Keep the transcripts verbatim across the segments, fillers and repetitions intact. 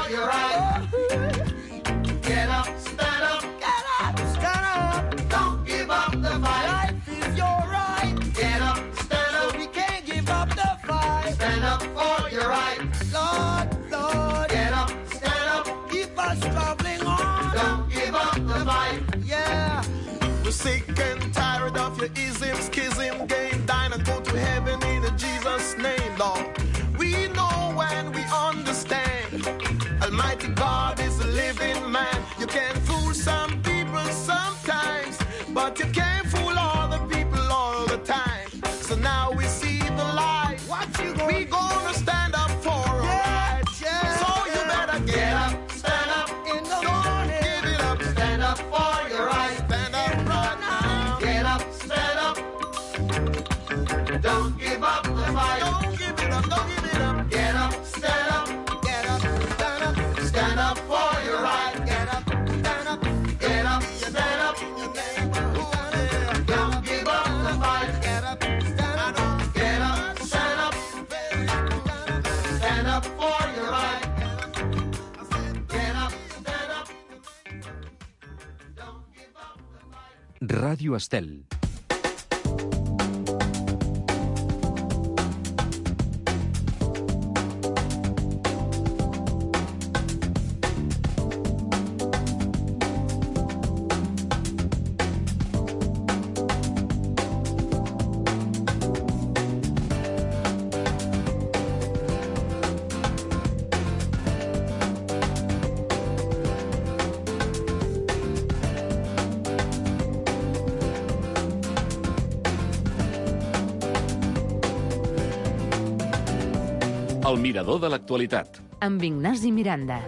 for your right. Get up, stand up, get up, stand up. Don't give up the fight. Life is your right. Get up, stand up. So we can't give up the fight. Stand up for your right. Lord, Lord. Get up, stand up. Keep us traveling on. Don't give up the fight. Yeah. We're sick and tired of your ism, schism, game. Dine and go to heaven in Jesus' name, Lord. We know and we understand. Almighty God is a living man. You can fool some people sometimes, but you can't fool all the people all the time. So now we see the light. What you gonna we gonna stand up for our yeah, rights. Yeah. So you better get, get up, up, stand up in the morning. Give it up, stand up for your rights. Stand up right now. Get up, stand up. Don't give up the fight. Don't give it up, don't give it up. Get up, stand up. Get up, stand up. Stand up for your right. Get up, stand up. Get up, stand up. Don't give up the fight. Get up, stand up. Get up, stand up. Stand up for your right. Get up, stand up. Don't give up the fight. Ràdio Estel. El mirador de l'actualitat. Amb Ignasi Miranda.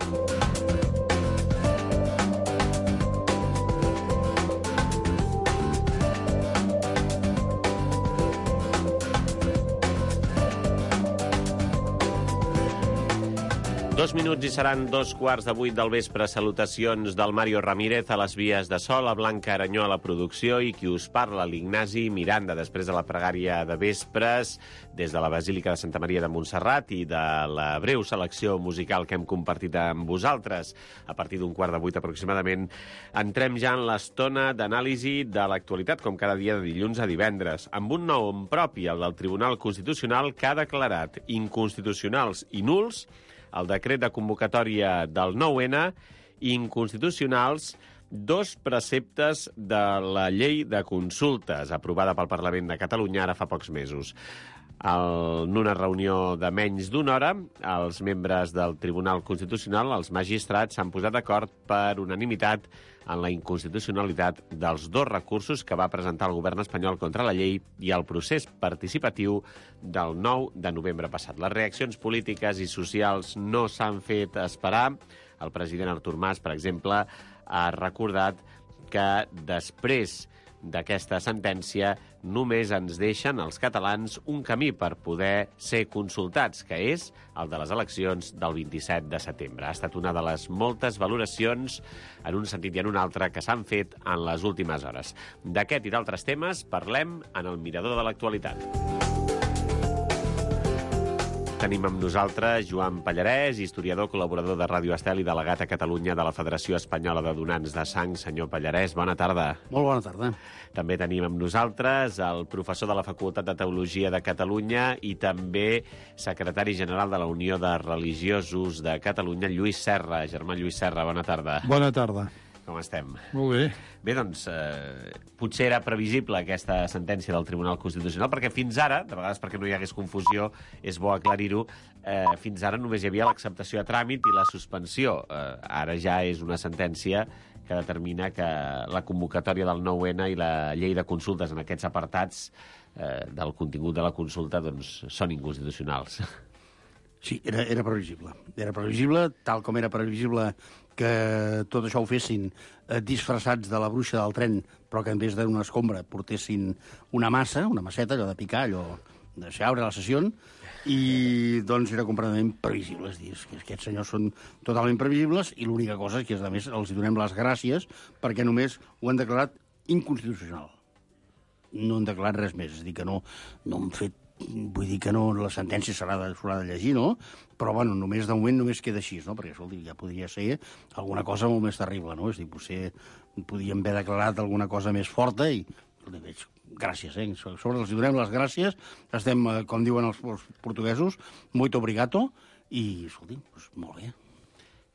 Dos minuts i seran dos quarts de vuit del vespre. Salutacions del Mario Ramírez a les vies de so, la Blanca Aranyó a la producció i qui us parla, l'Ignasi Miranda, després de la pregària de vespres des de la Basílica de Santa Maria de Montserrat i de la breu selecció musical que hem compartit amb vosaltres. A partir d'un quart de vuit aproximadament entrem ja en l'estona d'anàlisi de l'actualitat, com cada dia de dilluns a divendres, amb un nom propi, el del Tribunal Constitucional, que ha declarat inconstitucionals i nuls el decret de convocatòria del nou ena i inconstitucionals dos preceptes de la llei de consultes aprovada pel Parlament de Catalunya ara fa pocs mesos. En una reunió de menys d'una hora, els membres del Tribunal Constitucional, els magistrats, s'han posat d'acord per unanimitat en la inconstitucionalitat dels dos recursos que va presentar el govern espanyol contra la llei i el procés participatiu del nou de novembre passat. Les reaccions polítiques i socials no s'han fet esperar. El president Artur Mas, per exemple, ha recordat que després d'aquesta sentència només ens deixen els catalans un camí per poder ser consultats, que és el de les eleccions del vint-i-set de setembre. Ha estat una de les moltes valoracions, en un sentit i en un altre, que s'han fet en les últimes hores. D'aquest i d'altres temes parlem en el Mirador de l'actualitat. Tenim amb nosaltres Joan Pallarès, historiador, col·laborador de Ràdio Estel i delegat a Catalunya de la Federació Espanyola de Donants de Sang. Senyor Pallarès, bona tarda. Molt bona tarda. També tenim amb nosaltres el professor de la Facultat de Teologia de Catalunya i també secretari general de la Unió de Religiosos de Catalunya, Lluís Serra. Germà Lluís Serra, bona tarda. Bona tarda. Com estem? Molt bé. Bé, doncs, eh, potser era previsible aquesta sentència del Tribunal Constitucional, perquè fins ara, de vegades perquè no hi hagués confusió, és bo aclarir-ho, eh, fins ara només hi havia l'acceptació a tràmit i la suspensió. Eh, ara ja és una sentència que determina que la convocatòria del nou ena i la llei de consultes en aquests apartats eh, del contingut de la consulta doncs, són inconstitucionals. Sí, era, era previsible. Era previsible, tal com era previsible que tot això ho fessin eh, disfressats de la bruixa del tren, però que en vez d'una escombra portessin una massa, una masseta, allò de picar, allò de xaure a la sessió, i doncs era completament previsible. És dir, que aquests senyors són totalment previsibles i l'única cosa és que, a més, els donem les gràcies perquè només ho han declarat inconstitucional. No han declarat res més, és a dir, que no, no han fet vull dir que no, la sentència s'haurà de, s'haurà de llegir, no? Però, bueno, només de moment només queda així, no? Perquè, escolti, ja podria ser alguna cosa molt més terrible, no? És a dir, potser podríem haver declarat alguna cosa més forta i, escolti, veig, gràcies, eh? Sobre els donem les gràcies, estem, com diuen els, els portuguesos, muito obrigado, i, escolti, doncs, molt bé.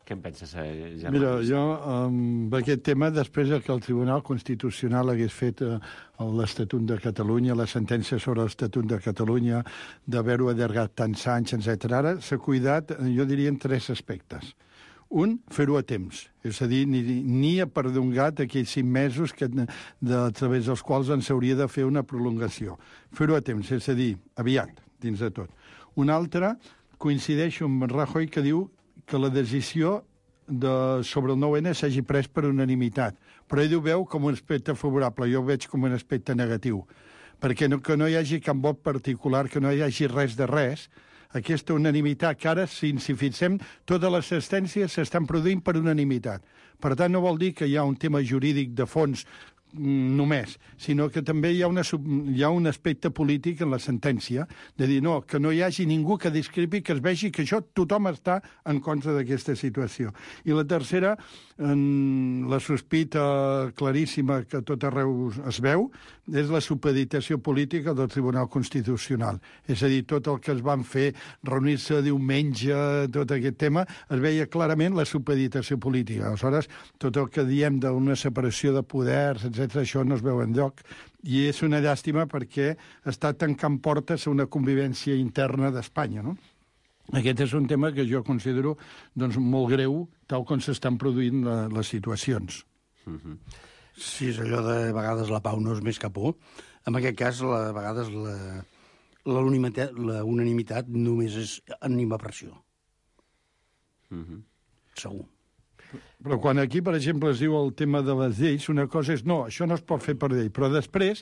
Què en penses, Germà? Mira, jo, amb aquest tema, després que el Tribunal Constitucional hagués fet eh, l'Estatut de Catalunya, la sentència sobre l'Estatut de Catalunya, d'haver-ho allargat tants anys, etcètera, ara s'ha cuidat, jo diria, en tres aspectes. Un, fer-ho a temps, és a dir, ni, ni ha perdongat aquells cinc mesos que, de, a través dels quals ens hauria de fer una prolongació. Fer-ho a temps, és a dir, aviat, dins de tot. Un altre, coincideixo amb Rajoy, que diu que la decisió de, sobre el nou ene s'hagi pres per unanimitat. Però ell ho veu com un aspecte favorable, jo ho veig com un aspecte negatiu. Perquè no, que no hi hagi cap vot particular, que no hi hagi res de res, aquesta unanimitat que ara, si ens hi fixem, totes les sentències s'estan produint per unanimitat. Per tant, no vol dir que hi ha un tema jurídic de fons només, sinó que també hi ha, una, hi ha un aspecte polític en la sentència, de dir, no, que no hi hagi ningú que discrepi, que es vegi que això tothom està en contra d'aquesta situació. I la tercera, en la sospita claríssima que tot arreu es veu, és la supeditació política del Tribunal Constitucional. És a dir, tot el que es van fer, reunir-se diumenge, tot aquest tema, es veia clarament la supeditació política. Aleshores, tot el que diem d'una separació de poders, etcètera, això no es veu enlloc. I és una llàstima perquè està tancant portes a una convivència interna d'Espanya, no? Aquest és un tema que jo considero doncs, molt greu, tal com s'estan produint la, les situacions. Mm-hmm. Sí, és allò de a vegades la pau no és més que por. En aquest cas, la, a vegades la, la, unanimitat, la unanimitat només és animapressió. Mm-hmm. Segur. Però quan aquí, per exemple, es diu el tema de les lleis, una cosa és, no, això no es pot fer per llei, però després,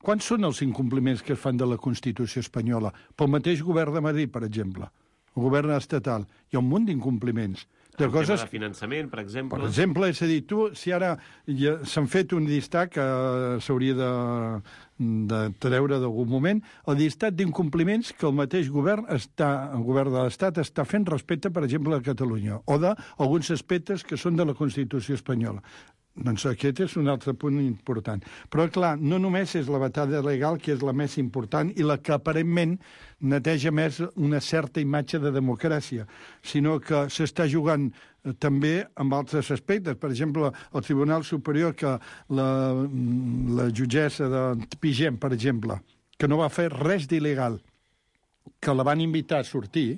quants són els incompliments que es fan de la Constitució espanyola? Pel mateix govern de Madrid, per exemple, el govern estatal, hi ha un munt d'incompliments. De el coses... tema de finançament, per exemple. Per exemple, és a dir, tu, si ara ja s'han fet un llistat que s'hauria de, de treure d'algun moment, el llistat d'incompliments que el mateix govern està, el govern de l'Estat està fent respecte, per exemple, a Catalunya, o d'alguns aspectes que són de la Constitució espanyola. Doncs aquest és un altre punt important. Però, clar, no només és la batalla legal, que és la més important i la que aparentment neteja més una certa imatge de democràcia, sinó que s'està jugant també amb altres aspectes. Per exemple, el Tribunal Superior, que la, la jutgessa de Pigem, per exemple, que no va fer res d'il·legal, que la van invitar a sortir,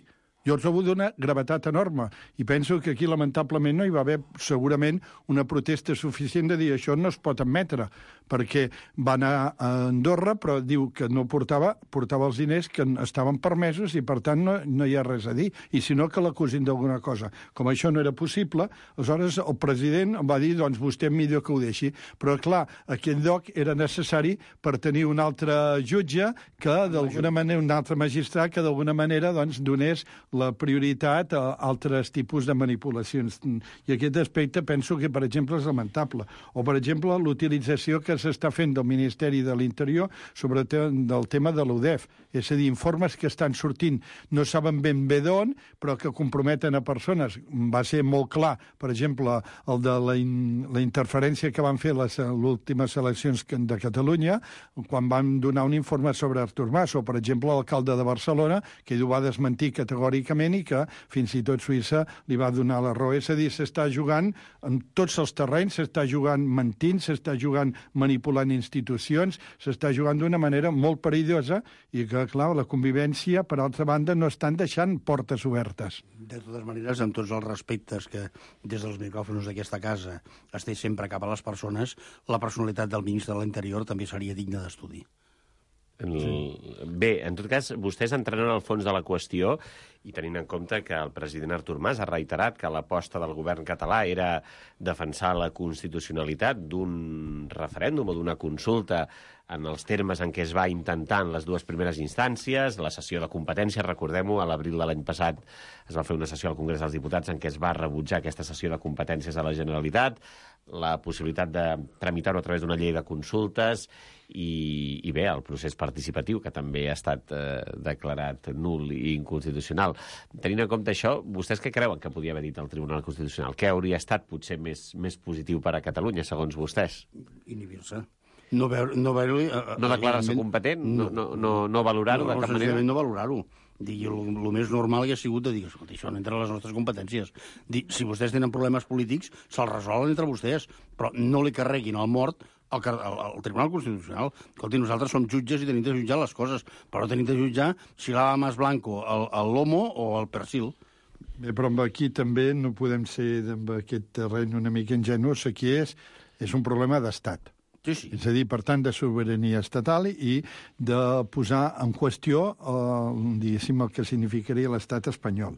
jo els he hagut d'una gravetat enorme i penso que aquí lamentablement no hi va haver segurament una protesta suficient de dir això no es pot admetre, perquè va anar a Andorra però diu que no portava, portava els diners que estaven permesos i per tant no, no hi ha res a dir, i si no que l'acusin d'alguna cosa. Com això no era possible, aleshores el president va dir doncs vostè millor que ho deixi, però clar, aquell lloc era necessari per tenir un altre jutge que d'alguna manera, un altre magistrat que d'alguna manera doncs donés la prioritat a altres tipus de manipulacions. I aquest aspecte penso que, per exemple, és lamentable. O, per exemple, l'utilització que s'està fent del Ministeri de l'Interior sobre el tema de l'U D E F. És a dir, informes que estan sortint no saben ben bé d'on, però que comprometen a persones. Va ser molt clar, per exemple, el de la, in, la interferència que van fer les últimes eleccions de Catalunya, quan van donar un informe sobre Artur Mas, o, per exemple, l'alcalde de Barcelona, que ell ho va desmentir categòricament i que fins i tot Suïssa li va donar la raó. És a dir, s'està jugant en tots els terrenys, s'està jugant mentint, s'està jugant manipulant institucions, s'està jugant d'una manera molt perillosa i que, clar, la convivència, per altra banda, no estan deixant portes obertes. De totes maneres, amb tots els respectes que des dels micròfons d'aquesta casa es té sempre cap a les persones, la personalitat del ministre de l'Interior també seria digna d'estudi. El... Bé, en tot cas, vostès entraran al fons de la qüestió i tenint en compte que el president Artur Mas ha reiterat que l'aposta del govern català era defensar la constitucionalitat d'un referèndum o d'una consulta en els termes en què es va intentar en les dues primeres instàncies, la sessió de competències, recordem-ho, a l'abril de l'any passat es va fer una sessió al Congrés dels Diputats en què es va rebutjar aquesta sessió de competències a la Generalitat, la possibilitat de tramitar-ho a través d'una llei de consultes i, i bé, el procés participatiu, que també ha estat eh, declarat nul i inconstitucional. Tenint en compte això, vostès què creuen que podia haver dit el Tribunal Constitucional? Què hauria estat potser més, més positiu per a Catalunya, segons vostès? Inhibir-se. No veure... No, veure no declarar-se competent? No, no, no, no valorar-ho no, de cap manera? No valorar-ho. El més normal hauria sigut de dir, escolta, això no entra a les nostres competències. Dir, si vostès tenen problemes polítics, se'ls resolen entre vostès, però no li carreguin al mort al, al, al Tribunal Constitucional. Escolti, nosaltres som jutges i tenim de jutjar les coses, però no tenim de jutjar si l'ava más blanco, el, el lomo o el persil. Bé, però aquí també no podem ser en aquest terreny una mica ingenus. Aquí és, és un problema d'estat. Sí, sí. És a dir, per tant, de sobirania estatal i de posar en qüestió, eh, diguéssim, el que significaria l'estat espanyol.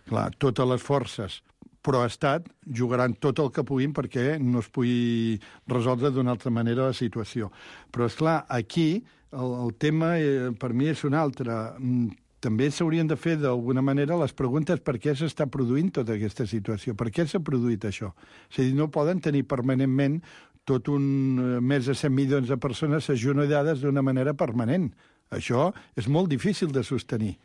Clar, totes les forces pro-estat jugaran tot el que puguin perquè no es pugui resoldre d'una altra manera la situació. Però, és clar, aquí el, el tema eh, per mi és un altre. També s'haurien de fer d'alguna manera les preguntes per què s'està produint tota aquesta situació, per què s'ha produït això. És a dir, no poden tenir permanentment tot un més de cent milions de persones agenollades d'una manera permanent. Això és molt difícil de sostenir.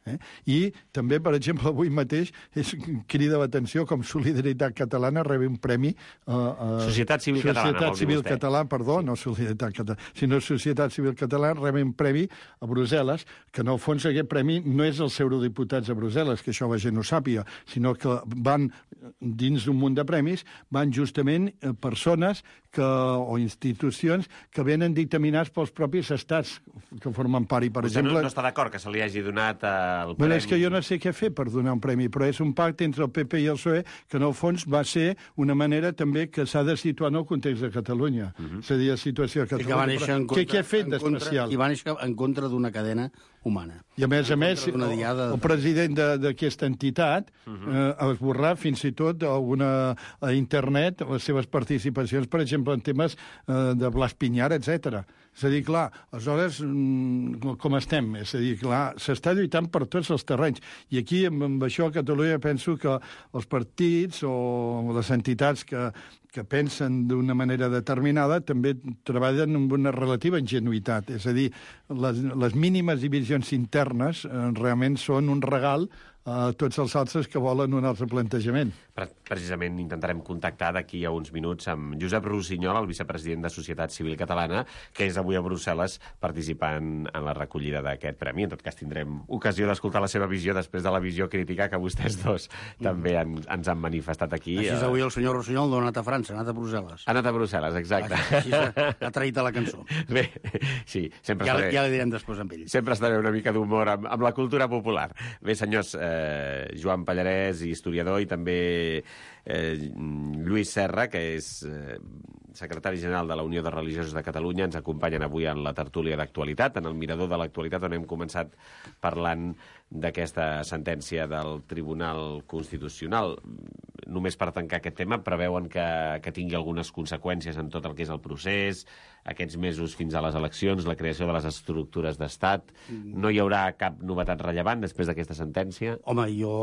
Eh? I també, per exemple, avui mateix és crida l'atenció com Solidaritat Catalana rebe un premi... Uh, uh, Societat Civil Catalana, Societat Civil Catalana, perdó, no Solidaritat Catalana, sinó Societat Civil Catalana rebe un premi a Brussel·les, que en el fons aquest premi no és els eurodiputats a Brussel·les, que això la gent no sàpiga, sinó que van dins d'un munt de premis, van justament persones que, o institucions que venen dictaminats pels propis estats que formen part. I, per Vostè exemple... no, no està d'acord que se li hagi donat el premi? Bueno, és que jo no sé què fer per donar un premi, però és un pacte entre el P P i el P S O E que en el fons va ser una manera també que s'ha de situar en el context de Catalunya. Uh -huh. És a dir, la situació de Catalunya. Però, contra, què, què ha fet d'especial? I va néixer en contra d'una cadena humana. I a més a més, el, diada... el president d'aquesta entitat uh -huh. eh, esborrar fins i tot alguna, a internet les seves participacions, per exemple, en temes eh, de Blas Piñar, etcètera. És a dir, clar, aleshores, com estem? És a dir, clar, s'està lluitant per tots els terrenys. I aquí, amb, amb això, a Catalunya, penso que els partits o les entitats que, que pensen d'una manera determinada també treballen amb una relativa ingenuïtat. És a dir, les, les mínimes divisions internes eh, realment són un regal a tots els altres que volen un altre plantejament. Precisament intentarem contactar d'aquí a uns minuts amb Josep Rossinyol, el vicepresident de Societat Civil Catalana, que és avui a Brussel·les participant en la recollida d'aquest premi. En tot cas, tindrem ocasió d'escoltar la seva visió després de la visió crítica que vostès dos també han, ens han manifestat aquí. Així és, avui el senyor Rossinyol no ha anat a França, ha anat a Brussel·les. Ha anat a Brussel·les, exacte. Així, així ha traït a la cançó. Bé, sí, sempre ja, estaré... Ja la direm després amb ell. Sempre estaré una mica d'humor amb, amb la cultura popular. Bé, senyors, eh, Joan Pallarès, historiador, i també eh, Lluís Serra, que és eh, secretari general de la Unió de Religiosos de Catalunya, ens acompanyen avui en la tertúlia d'actualitat, en el Mirador de l'Actualitat, on hem començat parlant d'aquesta sentència del Tribunal Constitucional. Només per tancar aquest tema, preveuen que, que tingui algunes conseqüències en tot el que és el procés, aquests mesos fins a les eleccions, la creació de les estructures d'estat. No hi haurà cap novetat rellevant després d'aquesta sentència? Home, jo,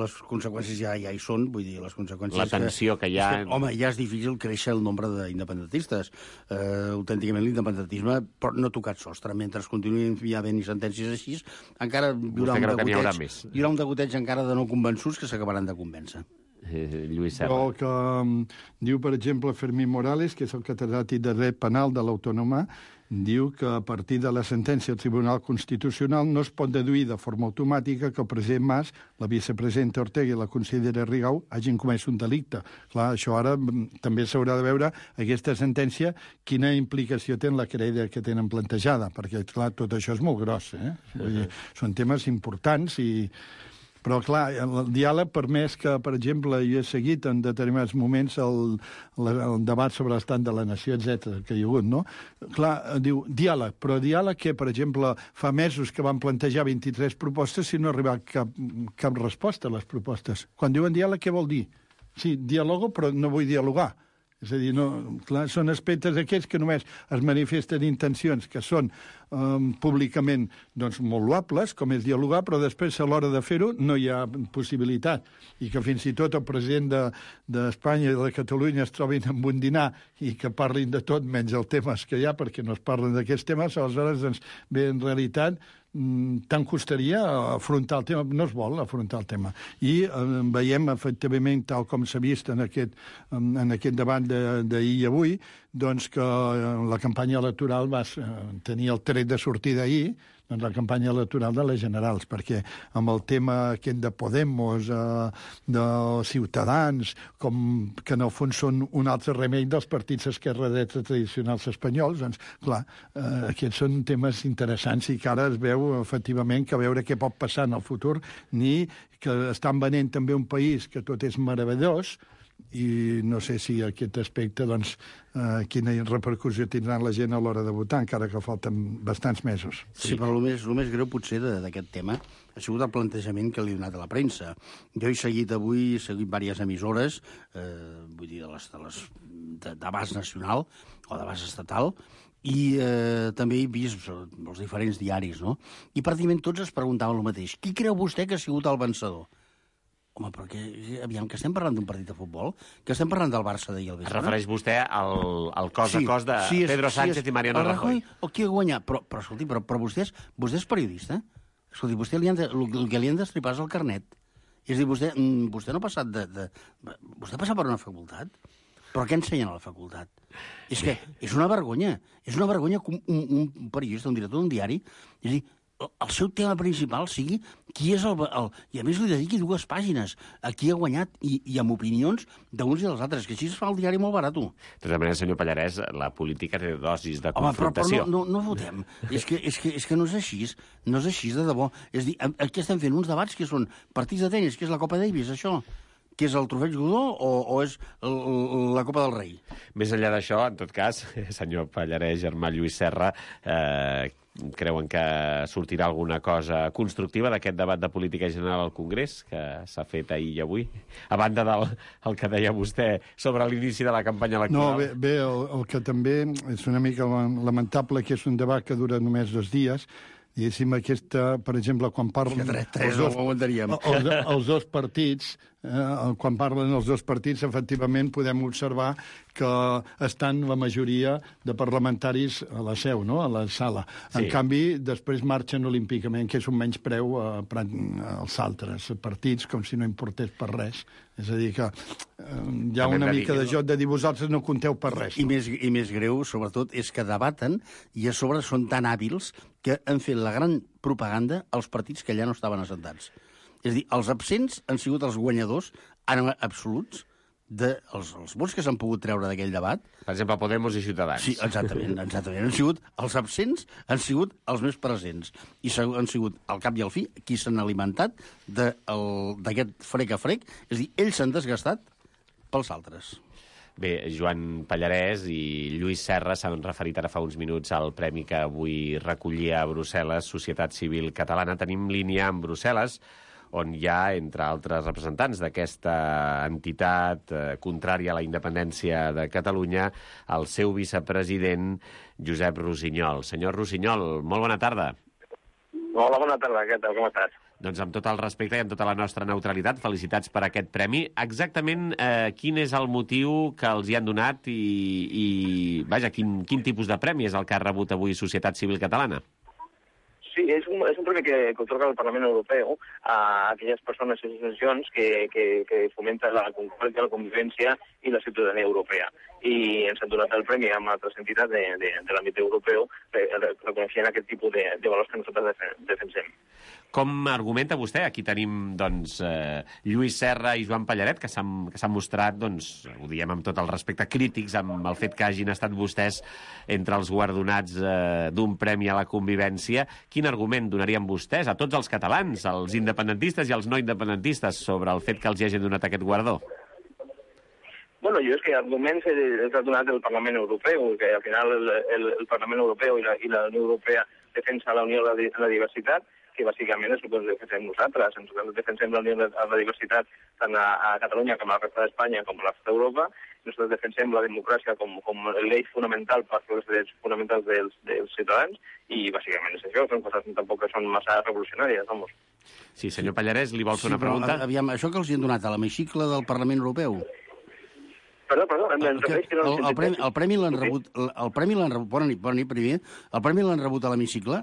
les conseqüències ja, ja hi són, vull dir, les conseqüències... La tensió que, que hi ha... Que, home, ja és difícil créixer el nombre d'independentistes. Uh, autènticament l'independentisme pot no tocar sostre. Mentre continuïn havent sentències així, encara hi haurà, un degoteig, hi haurà un degoteig encara de no convençuts que s'acabaran de convèncer. Eh, Lluís Serra. O que um, diu, per exemple, Fermín Morales, que és el catedràtic de dret penal de l'Autònoma, diu que a partir de la sentència del Tribunal Constitucional no es pot deduir de forma automàtica que el president Mas, la vicepresidenta Ortega i la consellera Rigau hagin comès un delicte. Clar, això ara també s'haurà de veure, aquesta sentència, quina implicació té en la querella que tenen plantejada, perquè, clar, tot això és molt gros, eh? Vull dir, són temes importants i... Però, clar, el diàleg permès que, per exemple, jo he seguit en determinats moments el, el debat sobre l'estat de la nació, etcètera que hi ha hagut, no? Clar, diu diàleg, però diàleg que, per exemple, fa mesos que van plantejar vint-i-tres propostes i no ha arribat cap, cap resposta a les propostes. Quan diuen diàleg, què vol dir? Sí, dialogo, però no vull dialogar. És a dir, no, clar, són aspectes aquests que només es manifesten intencions que són um, públicament doncs, molt loables, com és dialogar, però després a l'hora de fer-ho no hi ha possibilitat. I que fins i tot el president d'Espanya de, i de Catalunya es trobin amb un dinar i que parlin de tot menys els temes que hi ha, perquè no es parlen d'aquests temes, aleshores, doncs, bé, en realitat, tant costaria afrontar el tema, no es vol afrontar el tema. I eh, veiem, efectivament, tal com s'ha vist en aquest, en aquest debat d'ahir i avui, doncs que la campanya electoral va tenir el tret de sortida ahir, doncs la campanya electoral de les generals, perquè amb el tema aquest de Podemos, eh, de Ciutadans, com que en el fons són un altre remei dels partits esquerra-dreta tradicionals espanyols, doncs, clar, eh, aquests són temes interessants i que ara es veu, efectivament, que a veure què pot passar en el futur, ni que estan venent també un país que tot és meravellós, i no sé si aquest aspecte, doncs, eh, quina repercussió tindrà la gent a l'hora de votar, encara que falten bastants mesos. Sí, sí, però el més, el més greu potser d'aquest tema ha sigut el plantejament que li ha donat a la premsa. Jo he seguit avui, he seguit diverses emissores, eh, vull dir, de les, de les de, d'abast nacional o d'abast estatal, i eh, també he vist els diferents diaris, no? I pràcticament tots es preguntaven el mateix. Qui creu vostè que ha sigut el vencedor? Home, però que, aviam, que estem parlant d'un partit de futbol? Que estem parlant del Barça d'ahir al vespre? Es refereix vostè al, al cos sí, a cos de sí, és, Pedro Sánchez sí, és, i Mariano Rajoy. O qui ha guanyat? Però, però escolti, però, però vostè, és, vostè és periodista? Escolti, vostè li han de, el, el que li han d'estripar és el carnet. És a dir, vostè, vostè no ha passat de, de... Vostè ha passat per una facultat? Però què ensenyen a la facultat? És que és una vergonya. És una vergonya que un, un, un periodista, un director d'un diari, és a dir, el seu tema principal sigui qui és el, el... I a més li dediqui dues pàgines a qui ha guanyat i, i amb opinions d'uns i dels altres, que així es fa el diari molt barat. De tota manera, senyor Pallarès, la política té dosis de Home, confrontació. Home, però, però no, no, no votem. és, que, és, que, és que no és així, no és així de debò. És a dir, aquí estem fent uns debats que són partits de tenis, que és la Copa Davis, això, que és el trofeig Godó o, o és el, la Copa del Rei? Més enllà d'això, en tot cas, senyor Pallarès, germà Lluís Serra, eh, creuen que sortirà alguna cosa constructiva d'aquest debat de política general al Congrés que s'ha fet ahir i avui? A banda del el que deia vostè sobre l'inici de la campanya electoral. No, bé, bé el, el que també és una mica lamentable que és un debat que dura només dos dies. Diguéssim, aquesta, per exemple, quan parlen... Tres, tres els, dos, no ho aguantaríem. Els, els dos partits, eh, quan parlen els dos partits, efectivament podem observar que estan la majoria de parlamentaris a la seu, no?, a la sala. Sí. En canvi, després marxen olímpicament, que és un menyspreu a, als altres partits, com si no importés per res. És a dir, que eh, hi ha una mica de joc de dir vosaltres no compteu per res. I més, I més greu, sobretot, és que debaten i a sobre són tan hàbils que han fet la gran propaganda als partits que allà no estaven assentats. És a dir, els absents han sigut els guanyadors en absoluts dels de els vots que s'han pogut treure d'aquell debat. Per exemple, Podemos i Ciutadans. Sí, exactament, exactament. Han sigut, els absents han sigut els més presents. I han sigut, al cap i al fi, qui s'han alimentat d'aquest frec a frec. És a dir, ells s'han desgastat pels altres. Bé, Joan Pallarès i Lluís Serra s'han referit ara fa uns minuts al premi que avui recollia a Brussel·les, Societat Civil Catalana. Tenim línia amb Brussel·les, on hi ha, entre altres representants d'aquesta entitat eh, contrària a la independència de Catalunya, el seu vicepresident, Josep Rossinyol. Senyor Rossinyol, molt bona tarda. Hola, bona tarda, què tal, com estàs? Doncs amb tot el respecte i amb tota la nostra neutralitat, felicitats per aquest premi. Exactament eh, quin és el motiu que els hi han donat i, i vaja, quin, quin tipus de premi és el que ha rebut avui Societat Civil Catalana? Sí, és un, és un premi que, que otorga el Parlament Europeu a aquelles persones i associacions que, que, que fomenten la concòrdia, la convivència i la ciutadania europea. I ens han donat el premi amb altres entitats de, de, de l'àmbit europeu reconeixent aquest tipus de, de valors que nosaltres defensem. Com argumenta vostè? Aquí tenim doncs, eh, Lluís Serra i Joan Pallaret, que s'han mostrat, doncs, ho diem amb tot el respecte, crítics amb el fet que hagin estat vostès entre els guardonats eh, d'un premi a la convivència. Quin argument donarien vostès a tots els catalans, als independentistes i als no independentistes, sobre el fet que els hagin donat aquest guardó? Bueno, jo és que arguments els ha donat el Parlament Europeu, que al final el, el, el Parlament Europeu i la, i la Unió Europea defensa la unió i la, la diversitat, que bàsicament és el que defensem nosaltres. Nosaltres defensem la unió i la diversitat tant a, a Catalunya com a la resta d'Espanya com a la resta d'Europa. Nosaltres defensem la democràcia com, com l'eix fonamental per als drets fonamentals dels, dels ciutadans i bàsicament és això, són coses tampoc que són massa revolucionàries, vamos. Sí, senyor Pallarès, li vol fer Sí, una pregunta? però, aviam, això que els hi han donat a l'hemicicle del Parlament Europeu... Perdó, perdó, em El, que, que no el, el, premi, el premi l'han rebut... El, el premi l'han rebut... Bona nit, bona nit, primer. El premi l'han rebut a l'hemicicle?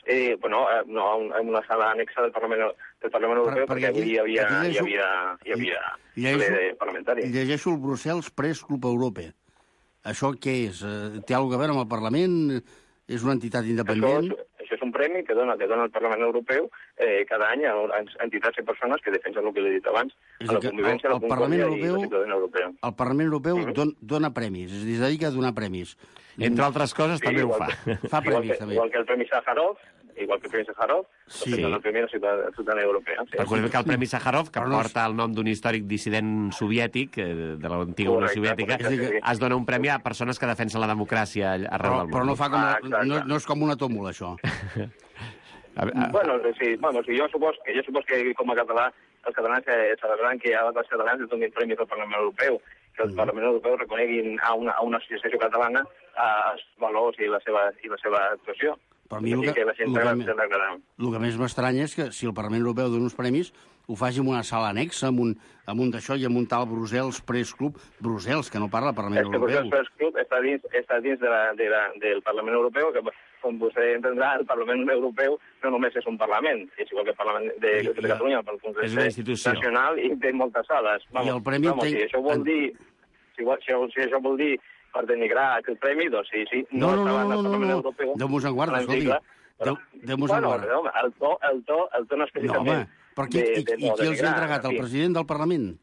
Eh, bueno, eh, no, en una sala anexa del Parlament, del Parlament Europeu, per, perquè avui hi havia, hi havia, hi havia ple parlamentari. Llegeixo el Brussels Press Club Europe. Això què és? Té alguna cosa a veure amb el Parlament? És una entitat independent? Això, això és un premi que dona, que dona el Parlament Europeu eh, cada any a entitats i persones que defensen el que l'he dit abans, és a la convivència, el, el la Parlament concòrdia Europeu, i la ciutadania europea. El Parlament Europeu uh-huh. don, dona premis, és a dir, es dedica a donar premis. Entre altres coses, sí, també ho fa. Que, fa premis, igual que, també. Igual que el Premi Sájarov, igual que el Premi Sájarov, sí. doncs el Premi de la Ciutadania Europea. Sí. Recordem que el Premi Sájarov, que no porta el nom d'un històric dissident soviètic, de l'antiga Unió Soviètica, correcte, es dona un premi a persones que defensen la democràcia arreu però, del món. Però no, fa com ah, la, no, no és com una tómbola, això. A, a... Bueno, sí, bueno, sí, jo supos que jo supos que com a català els catalans eh, celebraran que a altres catalans es donin premis al Parlament Europeu, que el Parlament Europeu reconeguin a una, a una associació catalana els valors i la seva, i la seva actuació. Però a mi el que, que, la gent el, que, el, el que més m'estranya és que si el Parlament Europeu dona uns premis ho faci en una sala anexa, amb un, amb un d'això i amb un tal Brussels Press Club. Brussels, que no parla el Parlament Europeu. Europeu. El Brussels Press Club està dins, està dins de la, de la, del Parlament Europeu, que com vostè entendrà, el Parlament Europeu no només és un Parlament, és igual que el Parlament de, I, de Catalunya, el Congrés és una institució nacional i té moltes sales. Vamos, I el premi vamos, té... si això vol dir, si, si, si això vol dir per denigrar aquest premi, doncs sí, sí, no, no, no, estava no, al no, Parlament no, Europeu. Déu-nos en guarda, escolti. Déu, Déu-nos bueno, en guarda. Home, el to, el to, el to no específicament... No, home, però qui, de, de, i, i qui els ha entregat? El president del Parlament?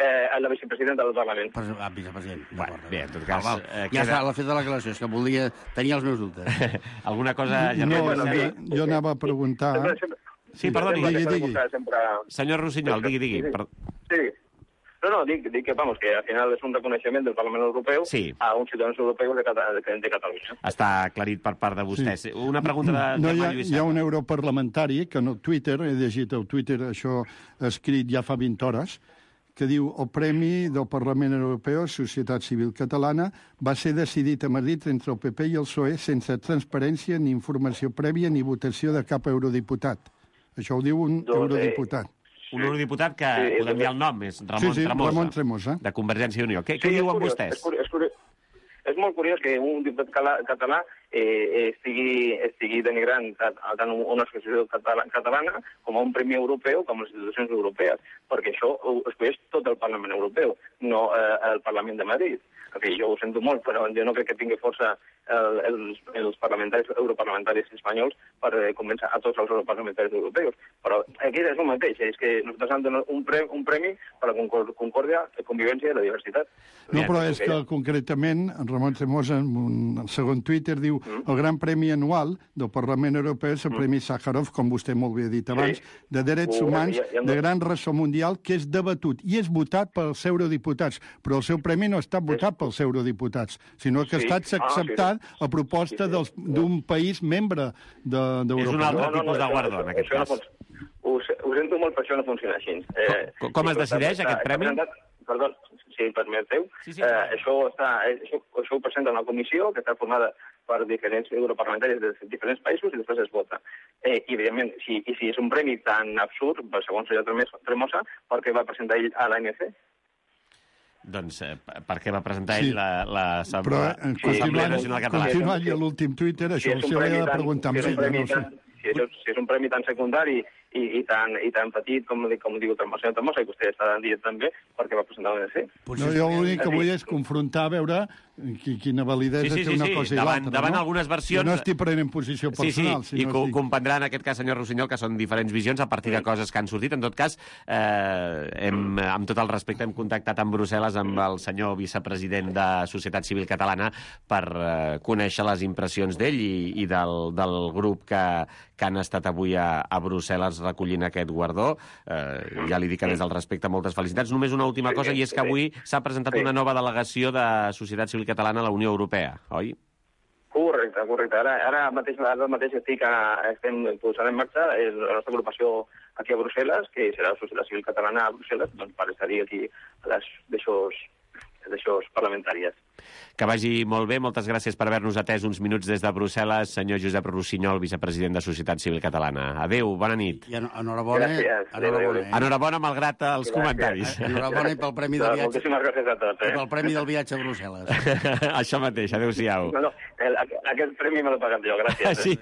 Eh, la vicepresidenta del Parlament. Pres ah, vicepresident. Bueno, bé, en tot cas... Val, val. Eh, ja queda... està, l'ha fet de la declaració, és que volia... Tenia els meus dubtes. Alguna cosa... No, bueno, jo, sí. jo anava a preguntar... Sempre, sempre, sí, perdoni, digui, digui. Sempre... Senyor Rossinyol, digui, digui. Sí, Per... sí. No, no, dic, dic que, vamos, que al final és un reconeixement del Parlament Europeu sí. a uns ciutadans europeus de, Cata de, de Catalunya. Està aclarit per part de vostès. Sí. Una pregunta de no, Germà hi ha, Lluís hi ha Serra. un europarlamentari que no Twitter, he llegit el Twitter, això escrit ja fa vint hores, que diu el Premi del Parlament Europeu, Societat Civil Catalana, va ser decidit a Madrid entre el P P i el P S O E sense transparència ni informació prèvia ni votació de cap eurodiputat. Això ho diu un doncs, eurodiputat. Un eurodiputat que sí, podem dir el nom, és Ramon, sí, sí, Tremosa, Ramon Tremosa, de Convergència i Unió. Què, sí, què diuen curiós, vostès? És, curiós, és, curiós, és molt curiós que un diputat català eh, estigui, estigui denigrant tant una associació catalana com a un premi europeu com les institucions europees, perquè això ho escolleix tot el Parlament Europeu, no eh, el Parlament de Madrid. En fi, jo ho sento molt, però jo no crec que tingui força el, els, els parlamentaris, europarlamentaris espanyols per eh, convèncer a tots els europarlamentaris europeus. Però aquí és el mateix, és que nosaltres hem donat un, pre, un premi per la concòrdia, la convivència i la diversitat. No, però és que concretament Ramon Tremosa, en un segon Twitter, diu mm. el gran premi anual del Parlament Europeu és el mm. Premi Sájarov, com vostè molt bé ha dit abans, sí. de drets uh, humans ja, ja no... de gran ressò mundial, que és debatut i és votat pels eurodiputats, però el seu premi no ha estat votat pels eurodiputats, sinó que sí. ha estat acceptat ah, sí. a proposta sí, sí. d'un país membre d'Europa. De, és un altre no, no, tipus no, de guardó, en aquest cas. No, ho, ho sento molt, per això no funciona així. Eh, com com es decideix, està, aquest premi? Presentat, perdó, si em permeteu. Sí, sí, eh, això, està, això, això ho presenta una comissió que està formada per diferents europarlamentaris de diferents països i després es vota. Eh, I, evidentment, si, i si és un premi tan absurd, segons el senyor Tremosa, per què va presentar ell a l'A N C? Doncs eh, per què va presentar ell sí. l'Assemblea la, la Nacional Catalana? Continuant ja l'últim Twitter, això si ho havia de preguntar amb ella, no sé. Si és, si és un premi tan secundari i, i, tan, i tan petit, com, com diu el senyor Tremosa, i vostè està dient també, perquè va presentar l'A N C. No, jo l'únic que vull és confrontar, a veure quina validesa sí, sí, té una sí, cosa i davant, l'altra, davant no? algunes versions... Jo no estic prenent posició personal. Sí, sí, i no estic... comprendrà en aquest cas, senyor Rossinyol, que són diferents visions a partir de coses que han sortit. En tot cas, eh, hem, amb tot el respecte, hem contactat amb Brussel·les amb el senyor vicepresident de Societat Civil Catalana per eh, conèixer les impressions d'ell i, i del, del grup que, que han estat avui a, a Brussel·les recollint aquest guardó. Eh, ja li dic que des del respecte moltes felicitats. Només una última cosa, i és que avui s'ha presentat una nova delegació de Societat Civil Catalana a la Unió Europea, oi? Correcte, correcte. Ara, ara mateix, ara mateix estic a, estem posant en marxa el, la nostra agrupació aquí a Brussel·les, que serà la Societat Civil Catalana a Brussel·les, doncs per estar-hi aquí a les d'aixòs parlamentàries. Que vagi molt bé. Moltes gràcies per haver-nos atès uns minuts des de Brussel·les, senyor Josep Rossinyol, vicepresident de Societat Civil Catalana. Adéu, bona nit. I enhorabona. Gràcies. Enhorabona, eh? Enhorabona, malgrat els gràcies. Comentaris. Enhorabona i pel premi del viatge. Moltíssimes gràcies a tots. Eh? I pel premi del viatge a Brussel·les. Això mateix, adéu-siau. No, no, el, aquest premi me l'he pagat jo, gràcies. Sí,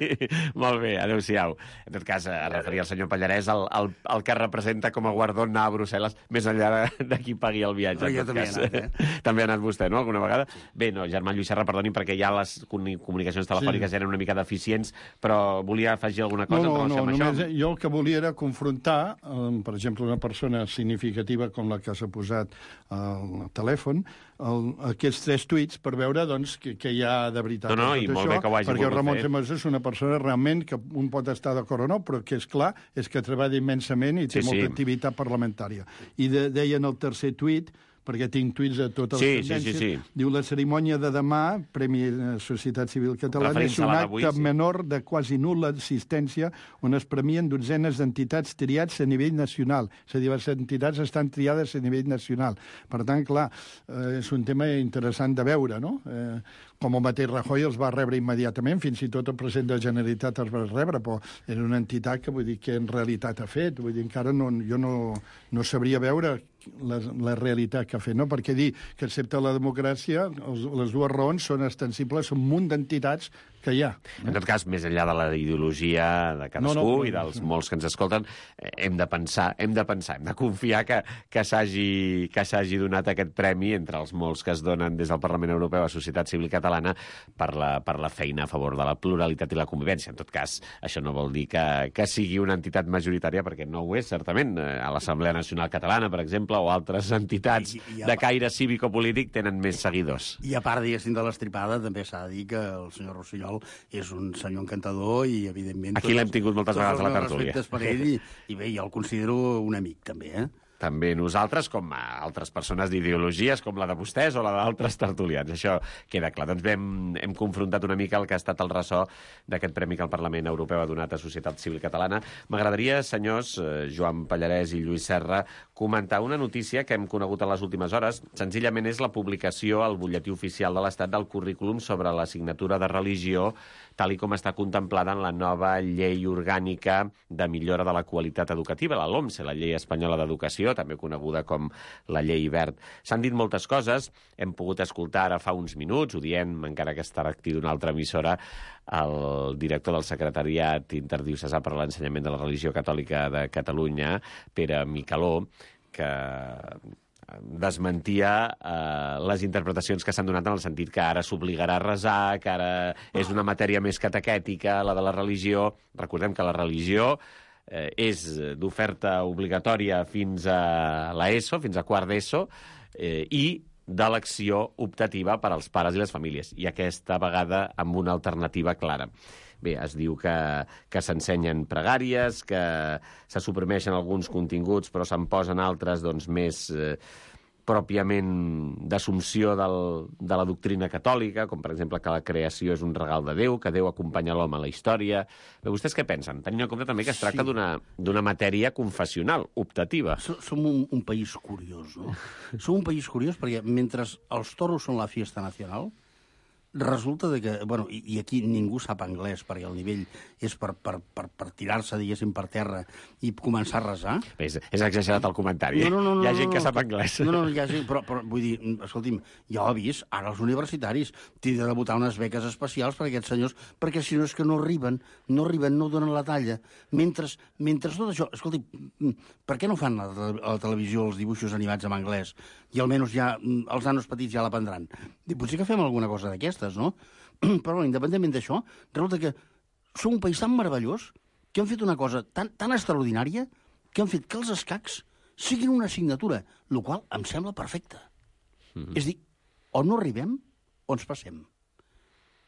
molt bé, adéu-siau. En tot cas, es referia al senyor Pallarès, el, el, el que representa com a guardó anar a Brussel·les, més enllà de, de qui pagui el viatge. No, jo també he anat, eh? També ha anat vostè, no?, alguna vegada? Bé, no, Germán Lluís Serra, perdoni, perquè ja les comunicacions telefòniques sí. eren una mica deficients, però volia afegir alguna cosa no, no, en relació no, amb només això? Jo el que volia era confrontar, eh, per exemple, una persona significativa com la que s'ha posat al telèfon, el, aquests tres tuits per veure doncs, què, què hi ha de veritat. No, no, i molt això, bé que ho hagi perquè Ramon fer. Semesó és una persona realment que un pot estar d'acord o no, però que és clar, és que treballa immensament i té Sí, molta sí. activitat parlamentària. I de, deia en el tercer tuit, perquè tinc tuits de totes Sí, les sí, tendències, sí, sí. diu la cerimònia de demà, Premi Societat Civil Catalana, és Referint-se a un la acte d'avui, sí. menor de quasi nul·la assistència on es premien dotzenes d'entitats triats a nivell nacional. És a dir, les entitats estan triades a nivell nacional. Per tant, clar, eh, és un tema interessant de veure, no? Eh, com el mateix Rajoy els va rebre immediatament, fins i tot el president de la Generalitat els va rebre, però era una entitat que vull dir que en realitat ha fet. Vull dir, encara no, jo no, no sabria veure la, la realitat que ha fet, no? Perquè dir que excepte la democràcia, els, les dues raons són extensibles a un munt d'entitats que hi ha. En tot cas, més enllà de la ideologia de cadascú No, no, i dels molts que ens escolten, eh, hem de pensar, hem de pensar, hem de confiar que, que s'hagi que s'hagi donat aquest premi entre els molts que es donen des del Parlament Europeu a Societat Civil Catalana per la, per la feina a favor de la pluralitat i la convivència. En tot cas, això no vol dir que, que sigui una entitat majoritària, perquè no ho és, certament. A l'Assemblea Nacional Catalana, per exemple, o altres entitats I, i, i de caire cívico-polític tenen més seguidors. I a part, diguéssim, de l'estripada, també s'ha de dir que el senyor Rossinyol és un senyor encantador i, evidentment... Aquí l'hem tingut moltes vegades a la tertúlia. Tots els meus respectes per ell i, i bé, jo el considero un amic, també, eh? També nosaltres, com a altres persones d'ideologies, com la de vostès o la d'altres tertulians. Això queda clar. Doncs bé, hem, hem confrontat una mica el que ha estat el ressò d'aquest premi que el Parlament Europeu ha donat a Societat Civil Catalana. M'agradaria, senyors, eh, Joan Pallarès i Lluís Serra, comentar una notícia que hem conegut en les últimes hores. Senzillament és la publicació al butlletí oficial de l'Estat del currículum sobre l'assignatura de religió, tal i com està contemplada en la nova llei orgànica de millora de la qualitat educativa, la LOMSE, la Llei Espanyola d'Educació, també coneguda com la Llei Wert. S'han dit moltes coses, hem pogut escoltar ara fa uns minuts, ho diem, encara que està actiu d'una altra emissora, el director del Secretariat Interdiocesà per a l'Ensenyament de la Religió Catòlica de Catalunya, Pere Micaló, que desmentia eh, les interpretacions que s'han donat en el sentit que ara s'obligarà a resar, que ara és una matèria més catequètica, la de la religió. Recordem que la religió eh, és d'oferta obligatòria fins a l'ESO, fins a quart d'ESO, eh, i d'elecció optativa per als pares i les famílies, i aquesta vegada amb una alternativa clara. Bé, es diu que, que s'ensenyen pregàries, que se suprimeixen alguns continguts però se'n posen altres doncs, més eh, pròpiament d'assumpció del, de la doctrina catòlica, com per exemple que la creació és un regal de Déu, que Déu acompanya l'home a la història. Bé, vostès què pensen? Tenint en compte també que es tracta sí. d'una matèria confessional, optativa. Som un, un país curiós, no? Som un país curiós perquè mentre els toros són la fiesta nacional, resulta de que, bueno, i, i aquí ningú sap anglès, perquè el nivell és per, per, per, per tirar-se, diguéssim, per terra i començar a resar. És, és exagerat el comentari. No, no, no, hi ha gent no, no, que sap anglès. No, no, hi ha gent, però, però vull dir, escolti'm, ja ho he vist, ara els universitaris tindran de votar unes beques especials per a aquests senyors, perquè si no és que no arriben, no arriben, no donen la talla. Mentre, mentre tot això... Escolti, per què no fan a la, a la televisió els dibuixos animats en anglès? I almenys ja els nanos petits ja l'aprendran. Potser que fem alguna cosa d'aquestes, no? Però, independentment d'això, resulta que som un país tan meravellós que han fet una cosa tan, tan extraordinària que han fet que els escacs siguin una assignatura, el qual em sembla perfecte. Mm-hmm. És dir, o no arribem o ens passem.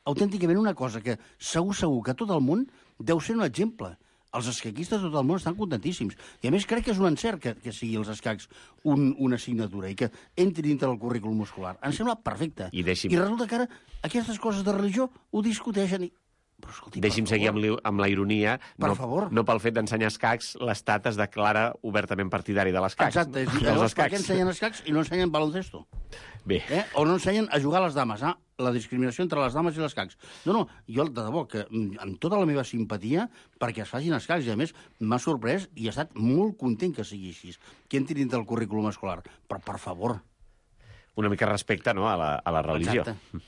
Autènticament una cosa que segur, segur que tot el món deu ser un exemple. Els escaquistes de tot el món estan contentíssims. I a més crec que és un encert que, que sigui els escacs un, una assignatura i que entri dintre del currículum escolar. Em sembla perfecte. I, deixi'm... I resulta que ara aquestes coses de religió ho discuteixen i... Però, escolti, Deixi'm seguir amb, li, amb la ironia. Per no, favor. No pel fet d'ensenyar escacs, l'Estat es declara obertament partidari de l'escacs. Exacte. És, llavors, per què ensenyen escacs i no ensenyen baloncesto? Bé. Eh? O no ensenyen a jugar a les dames, ah? La discriminació entre les dames i les escacs. No, no, jo, de debò, que amb tota la meva simpatia perquè es facin escacs, i a més m'ha sorprès i he estat molt content que sigui així, que entri dintre del currículum escolar. Però, per favor. Una mica respecte, no?, a la, a la religió. Exacte.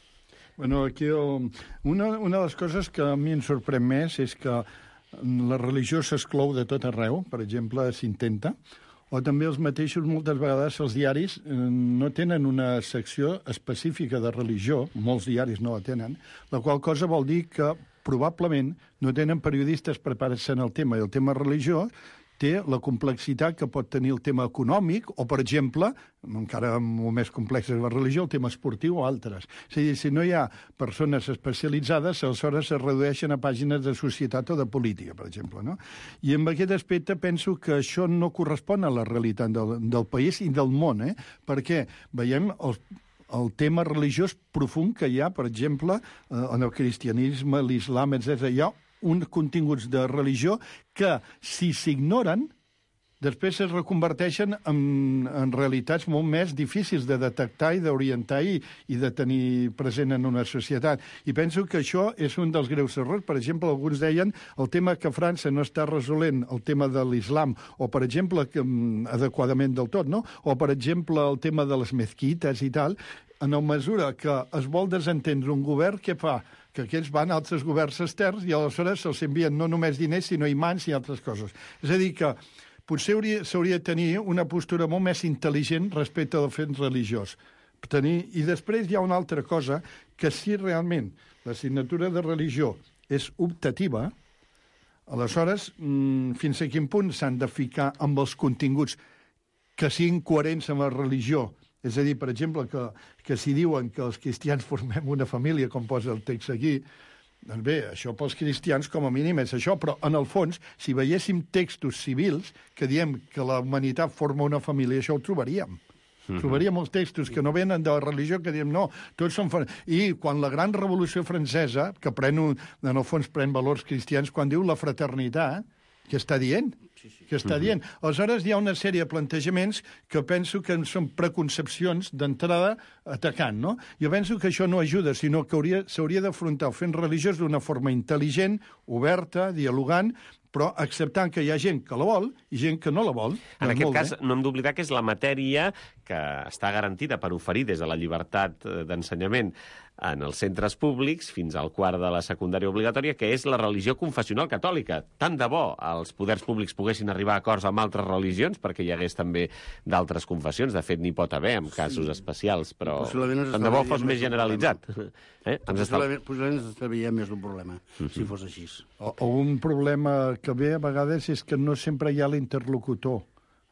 Bueno, aquí el, una, una de les coses que a mi em sorprèn més és que la religió s'exclou de tot arreu, per exemple, s'intenta, o també els mateixos, moltes vegades, els diaris eh, no tenen una secció específica de religió, molts diaris no la tenen, la qual cosa vol dir que probablement no tenen periodistes preparats en el tema, i el tema religió té la complexitat que pot tenir el tema econòmic, o, per exemple, encara molt més complex és la religió, el tema esportiu o altres. És a dir, si no hi ha persones especialitzades, aleshores es redueixen a pàgines de societat o de política, per exemple, no? I en aquest aspecte penso que això no correspon a la realitat del, del país i del món, eh? Perquè veiem els el tema religiós profund que hi ha, per exemple, en el cristianisme, l'islam, etcètera. Hi ha uns continguts de religió que, si s'ignoren, després es reconverteixen en, en realitats molt més difícils de detectar i d'orientar i, i de tenir present en una societat. I penso que això és un dels greus errors. Per exemple, alguns deien el tema que França no està resolent el tema de l'islam, o, per exemple, que, adequadament del tot, no? O, per exemple, el tema de les mezquites i tal. En la mesura que es vol desentendre un govern, què fa? Que aquests van a altres governs externs i aleshores se'ls envien no només diners, sinó imants i altres coses. És a dir, que potser s'hauria de tenir una postura molt més intel·ligent respecte al fet religiós. Tenir... I després hi ha una altra cosa, que si realment l'assignatura de religió és optativa, aleshores, mmm, fins a quin punt s'han de ficar amb els continguts que siguin coherents amb la religió. És a dir, per exemple, que, que si diuen que els cristians formem una família, com posa el text aquí, doncs bé, això pels cristians com a mínim és això, però en el fons, si veiéssim textos civils que diem que la humanitat forma una família, això ho trobaríem. Mm-hmm. Trobaríem els textos que no venen de la religió, que diem no, tots són... I quan la gran revolució francesa, que pren un, en el fons pren valors cristians, quan diu la fraternitat, què està dient? Sí, sí. Què està dient? Aleshores, hi ha una sèrie de plantejaments que penso que són preconcepcions d'entrada atacant, no? Jo penso que això no ajuda, sinó que s'hauria d'afrontar el fet religiós d'una forma intel·ligent, oberta, dialogant, però acceptant que hi ha gent que la vol i gent que no la vol. En doncs aquest cas, bé. no hem d'oblidar que és la matèria que està garantida per oferir des de la llibertat d'ensenyament en els centres públics fins al quart de la secundària obligatòria, que és la religió confessional catòlica. Tant de bo els poders públics poguessin arribar a acords amb altres religions, perquè hi hagués també d'altres confessions. De fet, n'hi pot haver en casos sí. especials, però tant de bo fos més generalitzat. Eh? Possiblement, possiblement ens estalviaríem més d'un problema, uh-huh. si fos així. O, o un problema que ve a vegades és que no sempre hi ha l'interlocutor.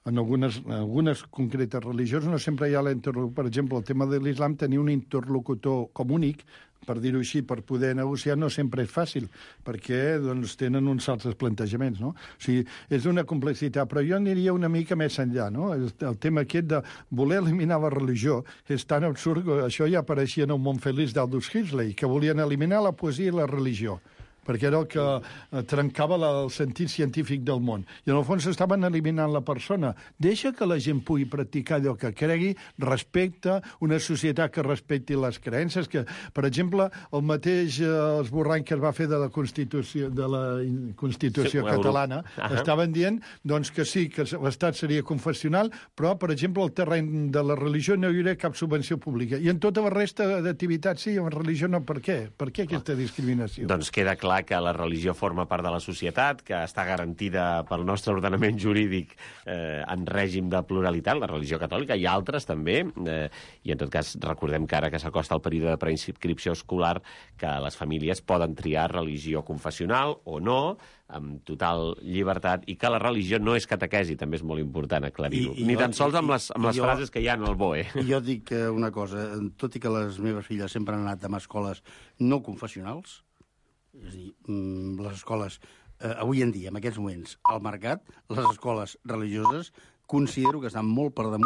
En algunes, en algunes concretes religions no sempre hi ha l'interlocutor. Per exemple, el tema de l'islam, tenir un interlocutor com únic, per dir-ho així, per poder negociar, no sempre és fàcil, perquè doncs, tenen uns altres plantejaments, no? O sigui, és una complexitat, però jo aniria una mica més enllà, no? El, el tema aquest de voler eliminar la religió és tan absurd, això ja apareixia en el món feliç d'Aldous Huxley, que volien eliminar la poesia i la religió. perquè era el que eh, trencava la, el sentit científic del món. I en el fons estaven eliminant la persona. Deixa que la gent pugui practicar allò que cregui, respecta una societat que respecti les creences, que, per exemple, el mateix eh, esborrany que es va fer de la Constitució, de la Constitució sí, catalana, uh -huh. estaven dient doncs, que sí, que l'Estat seria confessional, però, per exemple, al terreny de la religió no hi hauria cap subvenció pública. I en tota la resta d'activitats sí, en religió no. Per què? Per què aquesta discriminació? Doncs queda clar que la religió forma part de la societat, que està garantida pel nostre ordenament jurídic eh, en règim de pluralitat, la religió catòlica, i altres també, eh, i en tot cas recordem que ara que s'acosta el període de preinscripció escolar, que les famílies poden triar religió confessional o no, amb total llibertat, i que la religió no és catequesi, també és molt important aclarir-ho. Ni tan sols amb les, amb les jo, frases que hi ha en el B O E. Jo dic una cosa, tot i que les meves filles sempre han anat a escoles no confessionals, és a dir, les escoles, eh, avui en dia, en aquests moments, al mercat, les escoles religioses, considero que estan molt per damunt